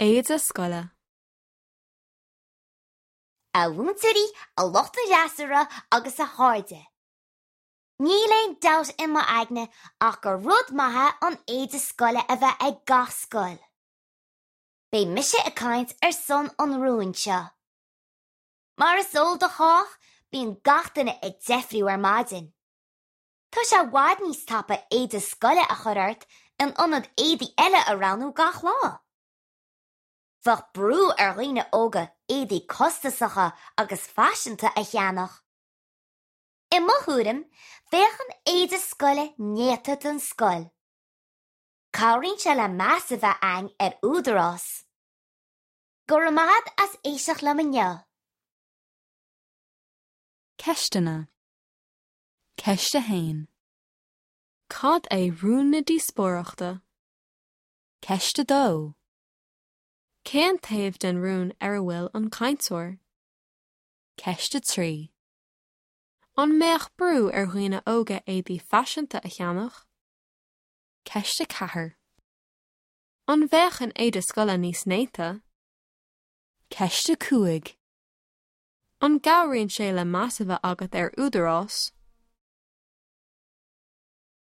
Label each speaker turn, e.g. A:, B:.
A: Éide scoile.
B: A mhúinteoirí, a lucht an fhreasúra agus a chairde. Níl aon dabht i m'aigne ach gur rud maith é an éide scoile a bheith ag gach scoil. Beidh mise ag caint ar son an rúin seo. Mar is eol do chách, bíonn gach duine ag deifriú ar maidin. Tá sé i bhfad níos tapa éide scoile a chur ort in ionad éadaí eile a roghnú gach lá. Bheadh brú ar dhaoine óga éadaí costasacha agus faiseanta a cheannach. I mo thuairim, bheadh an éide scoile néata don scoil. Cabhraíonn sé le meas a bheith a'inn ar údarás. Go raibh maith a'd as éisteacht liom inniu.
A: Ceisteanna. Ceist 1. Cad é rún na díospóireachta? Ceist 2. Cén taobh den rún ar a bhfuil an cainteoir? Ceist 3. An mbeadh brú ar dhaoine óga éadaí faiseanta a cheannach? Ceist 4. An bheadh an éide scoile níos néata? Ceist 5. An gcabhraíonn sé le meas a bheith agat ar údarás?